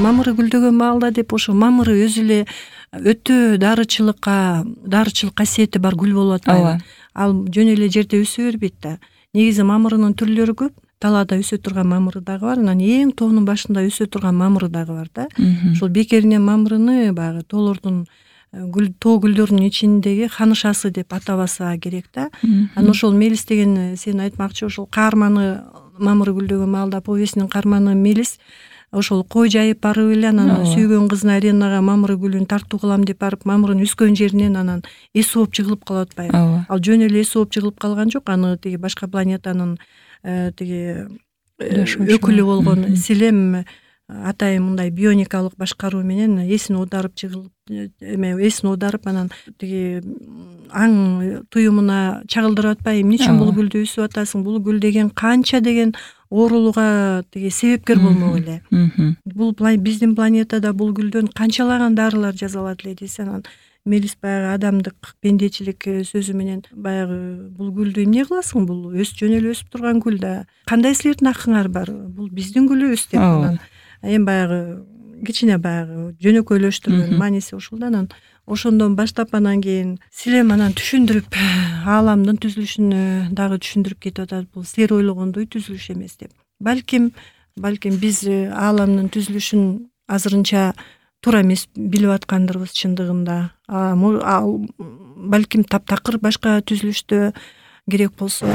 мамыры гүлдөгөн маалда деп ошо мамыры өзү эле өтө дарычылык касиети бар гүл болуп атпайбы? Ал жөн эле жерде өсө бербейт да. Негизи мамырынын түрлөрү көп. Талаада өсө турган мамыры дагы бар, анан эң тоонун башында өсө турган мамыры дагы бар да. Ошол бекеринен мамырыны баягы тоолордун тоо гүлдөрүнүн ичиндеги ханышасы деп атабаса керек да. Анан ошол мелис деген сен айтмакчы, ошол каарманы мамыры гүлдөгөн маалда повестинин каарманы мелис ошол кой жайып барып эле анан сүйгөн кызына аренага мамыры гүлүн тартуу кылам деп барып мамырынын өскөн жеринен анан эс ооп жыгылып калып атпайбы? Ал жөн эле эс ооп жыгылып калган жок, аны тиги башка планетанын тиги өкүлү болгон Силем атайын мындай бионикалык башкаруу менен эсин оодарып эсин оодарып анан тиги аң туюмуна чагылдырып атпайбы? Эмне үчүн бул гүлдү өсүп атасың? Бул гүл деген канча деген оорулууга тиги себепкер болмок эле. Бул биздин планетада бул гүлдөн канчалаган дарылар жасалат эле десе, анан мелис баягы адамдык пендечилик сөзү менен баягы бул гүлдү эмне кыласың? Бул жөн эле өсүп турган гүл да. Кандай силердин акыңар бар? Бул биздин гүлүбүз деп анан эми баягы кичине баягы жөнөкөйлөштүргөн мааниси ушул да. Анан ошондон баштап анан кийин Силем анан түшүндүрүп ааламдын түзүлүшүнө дагы түшүндүрүп кетип атат. Бул силер ойлогондой түзүлүш эмес деп. Балким биз ааламдын түзүлүшүн азырынча туура эмес билип аткандырбыз чындыгында. Балким таптакыр башка түзүлүштө керек болсо.